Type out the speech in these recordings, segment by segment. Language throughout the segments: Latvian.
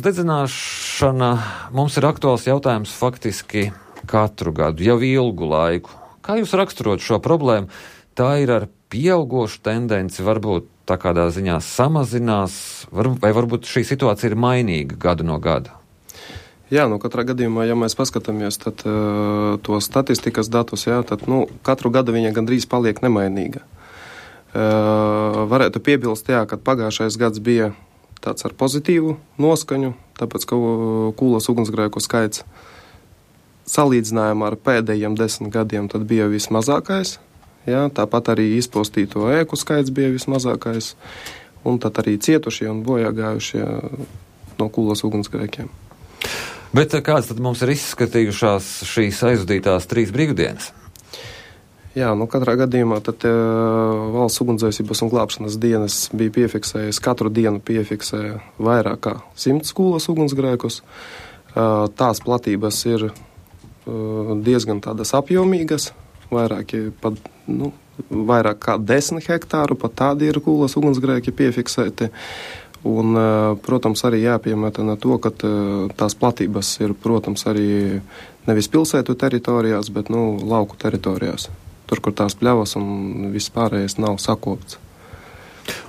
Dedzināšana mums ir aktuāls jautājums faktiski katru gadu, jau ilgu laiku. Kā jūs raksturot šo problēmu? Tā ir ar pieaugošu tendenci, varbūt tā kādā ziņā samazinās, vai varbūt šī situācija ir mainīga gadu no gada? Jā, katrā gadījumā, ja mēs paskatāmies tad, to statistikas datus, tad katru gadu viņa gandrīz paliek nemainīga. Varētu piebilst, ka pagājušais gads bija tāds ar pozitīvu noskaņu, tāpēc, ka kūlas ugunsgrēku skaits salīdzinājumā ar pēdējiem 10 gadiem tad bija vismazākais. Jā, tāpat arī izpostīto ēku skaits bija vismazākais, un tad arī cietušie un bojāgājušie no kūlas ugunsgrēkiem. Bet kāds tad mums ir izskatījušās šīs aizvadītās 3 brīvdienas? Jā, katrā gadījumā tad valsts ugunsdzēsības un glābšanas dienas bija piefiksējis, katru dienu piefiksēja vairāk kā 100 kūlas ugunsgrēkus. Tās platības ir diezgan tādas apjomīgas, vairāk kā 10 hektāru, pat tādi ir kūlas ugunsgrēki piefiksēti. Un, protams, arī jāpiemētana to, ka tās platības ir, protams, arī nevis pilsētu teritorijās, bet lauku teritorijās. Tur, kur tās pļavas un viss pārējais nav sakopts.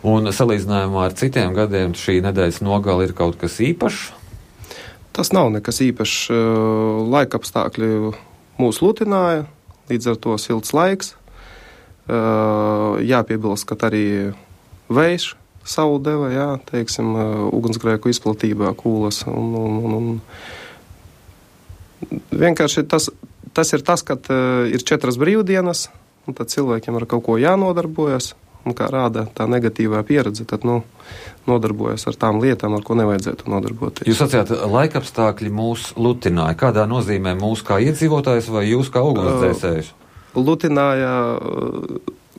Un salīdzinājumā ar citiem gadiem šī nedēļas nogale ir kaut kas īpašs? Tas nav nekas īpašs. Laikapstākļi mūs lutināja, līdz ar to silts laiks. Jāpiebilst, ka arī vējš savu deva, ugunsgrēku izplatībā kūlas. Un vienkārši tas ir tas, ka ir 4 brīvdienas, un tad cilvēkiem ar kaut ko jānodarbojas, un kā rāda tā negatīvā pieredze, tad nodarbojas ar tām lietām, ar ko nevajadzētu nodarboties. Jūs sacījāt, laikapstākļi mūs lutināja. Kādā nozīmē mūs kā iedzīvotājs vai jūs kā ugunsdzēsējus? Lutināja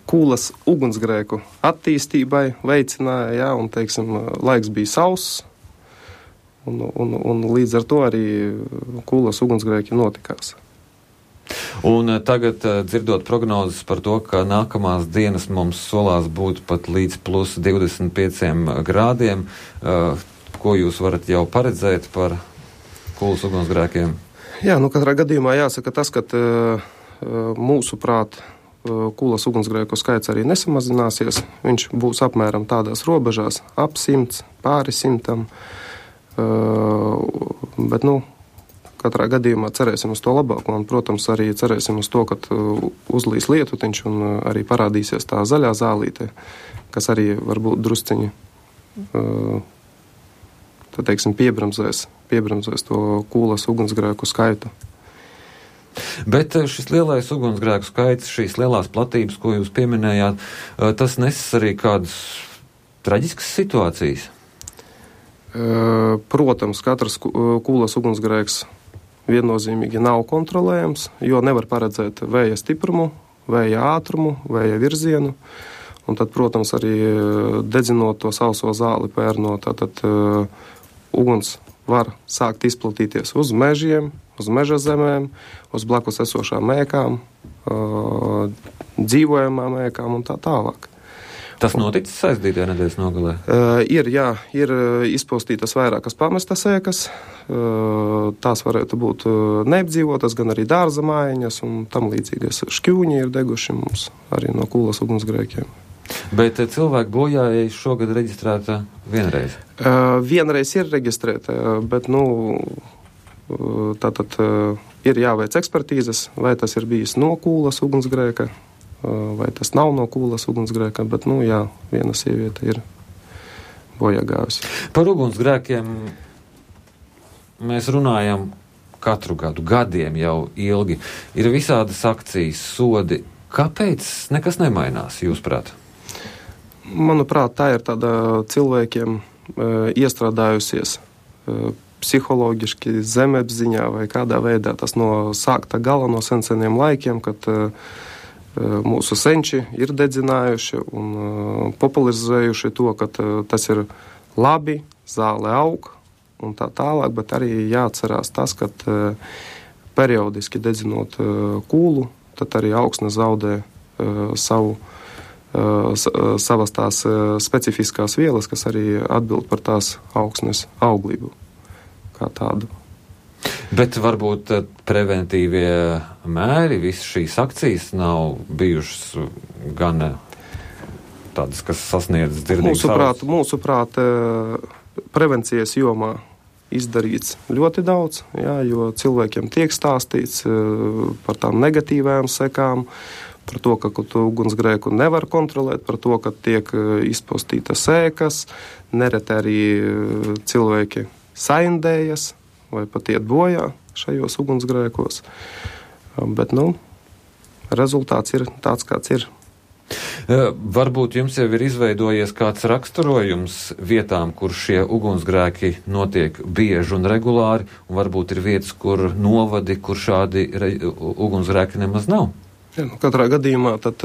kūlas ugunsgrēku attīstībai, veicināja, un, laiks bija sauss, un līdz ar to arī kūlas ugunsgrēki notikās. Un tagad, dzirdot prognozes par to, ka nākamās dienas mums solās būt pat līdz plus 25 grādiem, ko jūs varat jau paredzēt par kūlas ugunsgrēkiem? Jā, katrā gadījumā jāsaka tas, ka mūsuprāt kūlas ugunsgrēku skaits arī nesamazināsies. Viņš būs apmēram tādās robežās, ap 100, pāri 100. Bet, katrā gadījumā cerēsim uz to labāko, un, protams, arī cerēsim uz to, ka uzlīs lietutiņš un arī parādīsies tā zaļā zālīte, kas arī varbūt drusciņi, piebremzēs to kūlas ugunsgrēku skaitu. Bet šis lielais ugunsgrēku skaits, šīs lielās platības, ko jūs pieminējāt, tas nesis arī kādas traģiskas situācijas? Protams, katrs kūlas ugunsgrēks viennozīmīgi nav kontrolējams, jo nevar paredzēt vēja stiprumu, vēja ātrumu, vēja virzienu. Un tad, protams, arī dedzinot to sauso zāli pērnot, tad uguns var sākt izplatīties uz mežiem, uz meža zemēm, uz blakus esošām ēkām, dzīvojamām ēkām un tā tālāk. Tas noticis aizdītajā nedēļas nogalē? Ir izpostītas vairākas pamestas ēkas. Tās varētu būt neapdzīvotas, gan arī dārza mājiņas un tam līdzīgas. Šķūņi ir deguši mums arī no kūlas ugunsgrēkiem. Bet cilvēku bojājēji šogad reģistrēta vienreiz? Vienreiz ir reģistrēta, bet, tātad ir jāveic ekspertīzes, vai tas ir bijis no kūlas ugunsgrēka, vai tas nav no kūlas ugunsgrēka, bet, viena sieviete ir bojāgājusi. Par ugunsgrēkiem mēs runājam katru gadu, gadiem jau ilgi. Ir visādas akcijas, sodi. Kāpēc nekas nemainās, jūsuprāt? Manuprāt, tā ir tāda cilvēkiem iestrādājusies psiholoģiski zemapziņā vai kādā veidā tas no sākta gala, no seniem laikiem, kad mūsu senči ir dedzinājuši un popularizējuši to, ka tas ir labi, zāle aug un tā tālāk, bet arī jāatcerās tas, ka periodiski dedzinot kūlu, tad arī augsne zaudē savas tās specifiskās vielas, kas arī atbild par tās augsnes auglību. kā tādu. Bet varbūt preventīvie mēri, visas šīs akcijas nav bijušas gan tādas, kas sasniedz dzirdības ausis? Mūsuprāt, prevencijas jomā izdarīts ļoti daudz, jā, jo cilvēkiem tiek stāstīts par tām negatīvajām sekām, par to, ka tu ugunsgrēku nevar kontrolēt, par to, ka tiek izpostītas sēkas, nereti arī cilvēki saindējas vai pat iet bojā šajos ugunsgrēkos. Bet, rezultāts ir tāds, kāds ir. Varbūt jums jau ir izveidojies kāds raksturojums vietām, kur šie ugunsgrēki notiek bieži un regulāri, un varbūt ir vietas, kur novadi, kur šādi ugunsgrēki nemaz nav? Ja, katrā gadījumā tad,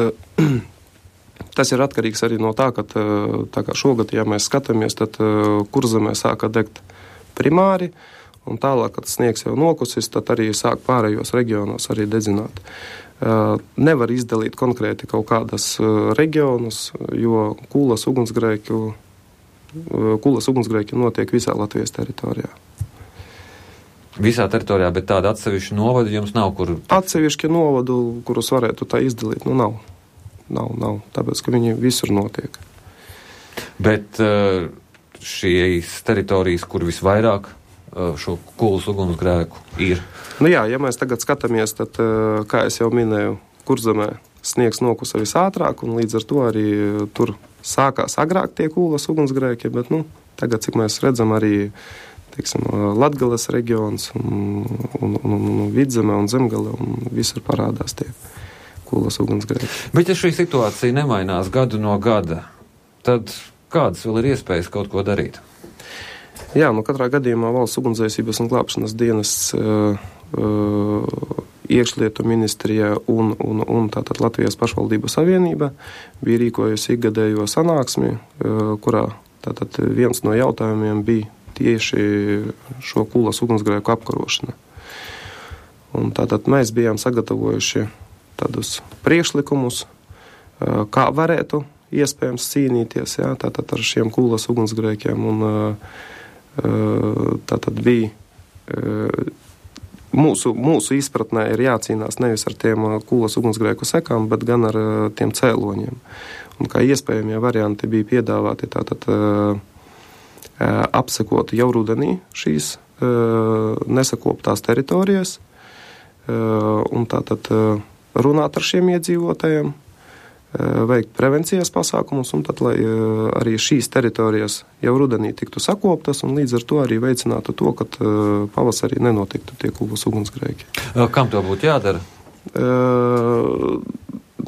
tas ir atkarīgs arī no tā, ka tā kā šogad, ja mēs skatāmies, tad Kurzemē sāka degt primāri, un tālāk, kad sniegs jau nokusis, tad arī sāk pārējos reģionos arī dedzināt. Nevar izdalīt konkrēti kaut kādas reģionus, jo kūlas ugunsgrēki notiek visā Latvijas teritorijā. Visā teritorijā, bet tāda atsevišķa novada jums nav, kur... Atsevišķi novadu, kurus varētu tā izdalīt, nav. Nav, tāpēc, ka viņi visur notiek. Bet šīs teritorijas, kur visvairāk šo kūlas ugunsgrēku ir? Jā, ja mēs tagad skatāmies, tad, kā es jau minēju, Kurzemē sniegs nokusa visātrāk, un līdz ar to arī tur sākās agrāk tie kūlas ugunsgrēki, bet, tagad, cik mēs redzam, arī, teiksim, Latgales reģions un Vidzeme un Zemgale, un visur parādās tie kūlas ugunsgrēki. Bet ja šī situācija nemainās gadu no gada, tad kādas vēl ir iespējas kaut ko darīt? Jā, katrā gadījumā Valsts ugunsdzēsības un glābšanas dienests, Iekšlietu ministrija un tātad Latvijas pašvaldību savienība bija rīkojusi ikgadējo sanāksmi, kurā tātad viens no jautājumiem bija tieši šo kūlas ugunsgrēku apkarošana. Un tātad mēs bijām sagatavojuši tādus priekšlikumus, kā varētu iespējams cīnīties, jā, tātad ar šiem kūlas ugunsgrēkiem, un tātad bija mūsu izpratnē ir jācīnās nevis ar tiem kūlas ugunsgrēku sekām, bet gan ar tiem cēloņiem. Un kā iespējamie varianti bija piedāvāti tātad apsekot jau rudenī šīs nesakoptās teritorijas un tātad runāt ar šiem iedzīvotājiem, veikt prevencijas pasākumus, un tad, lai arī šīs teritorijas jau rudenī tiktu sakoptas, un līdz ar to arī veicinātu to, ka pavasarī nenotiktu tie kūlas ugunsgrēki. Kam to būtu jādara?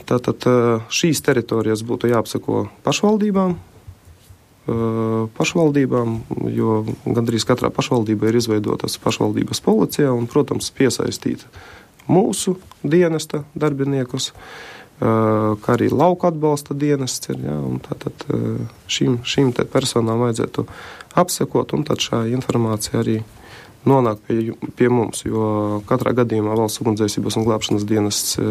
Tātad šīs teritorijas būtu jāapsako pašvaldībām, jo gandrīz katrā pašvaldībā ir izveidotas pašvaldības policija, un, protams, piesaistīt mūsu dienesta darbiniekus, kā arī lauku atbalsta dienests ir, jā, un tātad šīm te personām vajadzētu apsekot, un tad šā informācija arī nonāk pie mums, jo katrā gadījumā Valsts ugunsdzēsības un glābšanas dienests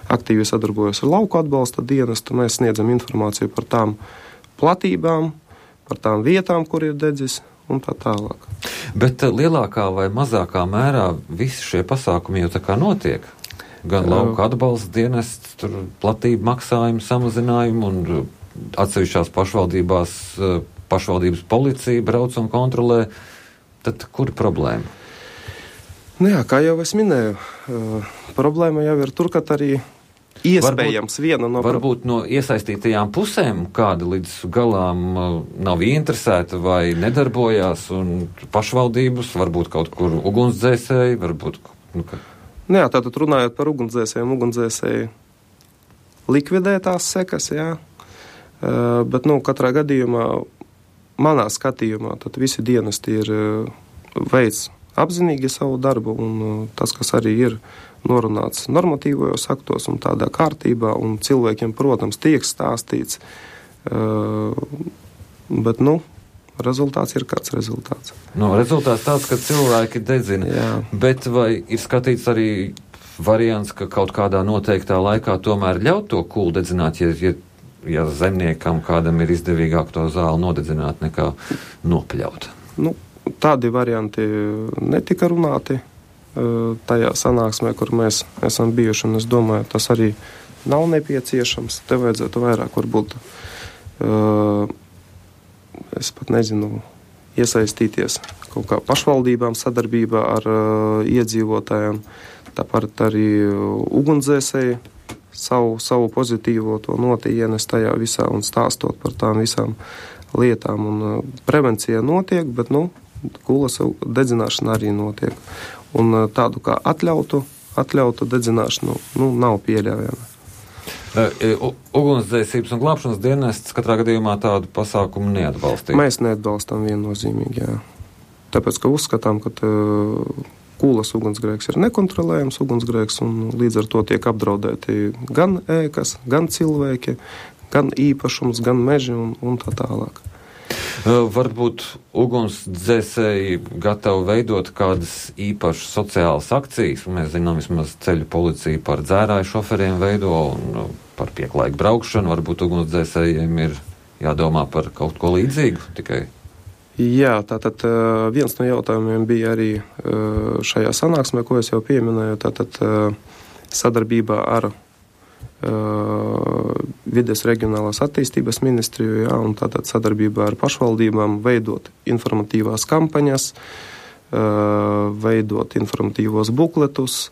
aktīvi sadarbojas ar lauku atbalsta dienestu. Mēs sniedzam informāciju par tām platībām, par tām vietām, kur ir dedzis, un tā tālāk. Bet lielākā vai mazākā mērā visi šie pasākumi jau tā kā notiek? Gan lauka atbalsta dienests, tur platību maksājumu samazinājumu un atsevišķās pašvaldības policija brauc un kontrolē. Tad kur ir problēma? Jā, kā jau es minēju, problēma jau ir tur, ka arī iespējams viena no... Varbūt no iesaistītajām pusēm kāda līdz galām nav ieinteresēta vai nedarbojās, un pašvaldības, varbūt kaut kur ugunsdzēsēji, varbūt... Jā, tātad runājot par ugunsdzēsēji likvidē tās sekas, jā. Bet, katrā gadījumā, manā skatījumā, tad visi dienesti ir veids apzinīgi savu darbu, un tas, kas arī ir norunāts normatīvajos aktos un tādā kārtībā, un cilvēkiem, protams, tiek stāstīts, bet, rezultāts ir kāds rezultāts. Rezultāts tāds, ka cilvēki dedzina. Jā. Bet vai ir skatīts arī variants, ka kaut kādā noteiktā laikā tomēr ļaut to kūlu dedzināt, ja zemniekam kādam ir izdevīgāk to zāli nodedzināt nekā nopļaut? Tādi varianti netika runāti tajā sanāksmē, kur mēs esam bijuši, un es domāju, tas arī nav nepieciešams. Te vajadzētu vairāk varbūt, es pat nezinu, iesaistīties kaut kā pašvaldībām sadarbībā ar iedzīvotājiem, tāpat arī ugunsdzēsēji savu pozitīvo to noti ienes tajā visā un stāstot par tām visām lietām. Un prevencija notiek, bet, kulas dedzināšana arī notiek. Un tādu kā atļautu dedzināšanu, nav pieļaujama. Ugunsdzēsības un glābšanas dienests katrā gadījumā tādu pasākumu neatbalstīja. Mēs neatbalstam viennozīmīgi, jā. Tāpēc, ka uzskatām, ka kūlas ugunsgrēks ir nekontrolējams ugunsgrēks, un līdz ar to tiek apdraudēti gan ēkas, gan cilvēki, gan īpašums, gan meži un tā tālāk. Varbūt ugunsdzēsēji gatavi veidot kādas īpašas sociālas akcijas. Mēs zinām, vismaz ceļu policija par dzērāju šoferiem veido un par pieklājīgu braukšanu. Varbūt ugunsdzēsējiem ir jādomā par kaut ko līdzīgu tikai. Jā, tātad viens no jautājumiem bija arī šajā sanāksmē, ko es jau pieminēju, tātad sadarbībā ar Vides reģionālās attīstības ministriju, jā, un tātad sadarbībā ar pašvaldībām veidot informatīvās kampaņas, veidot informatīvos bukletus,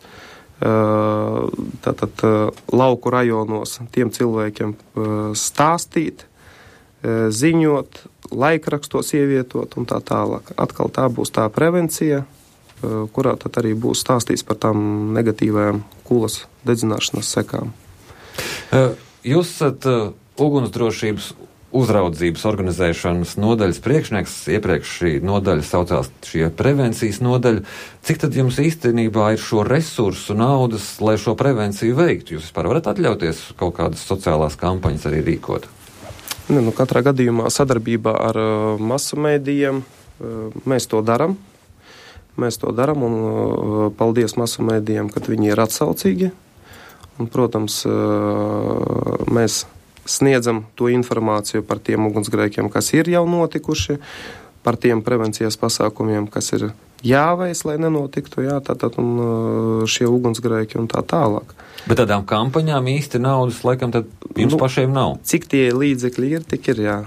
tātad lauku rajonos tiem cilvēkiem stāstīt, ziņot, laikrakstos ievietot un tā tālāk. Atkal tā būs tā prevencija, kurā tad arī būs stāstīts par tām negatīvajām kūlas dedzināšanas sekām. Jūs esat ugunsdrošības uzraudzības organizēšanas nodaļas priekšnieks. Iepriekš šī nodaļa saucās šie prevencijas nodaļa. Cik tad jums īstenībā ir šo resursu naudas, lai šo prevenciju veiktu? Jūs vispār varat atļauties kaut kādas sociālās kampaņas arī rīkot? Katrā gadījumā sadarbībā ar masu mēdījiem mēs to darām. Un paldies masu mēdījiem, ka viņi ir atsaucīgi. Un, protams, mēs sniedzam to informāciju par tiem ugunsgrēkiem, kas ir jau notikuši, par tiem prevencijas pasākumiem, kas ir jāveic, lai nenotiktu, tātad un šie ugunsgrēki un tā tālāk. Bet tādām kampaņām īsti naudas laikam tad jums pašiem nav? Cik tie līdzekļi ir, tik ir, jā.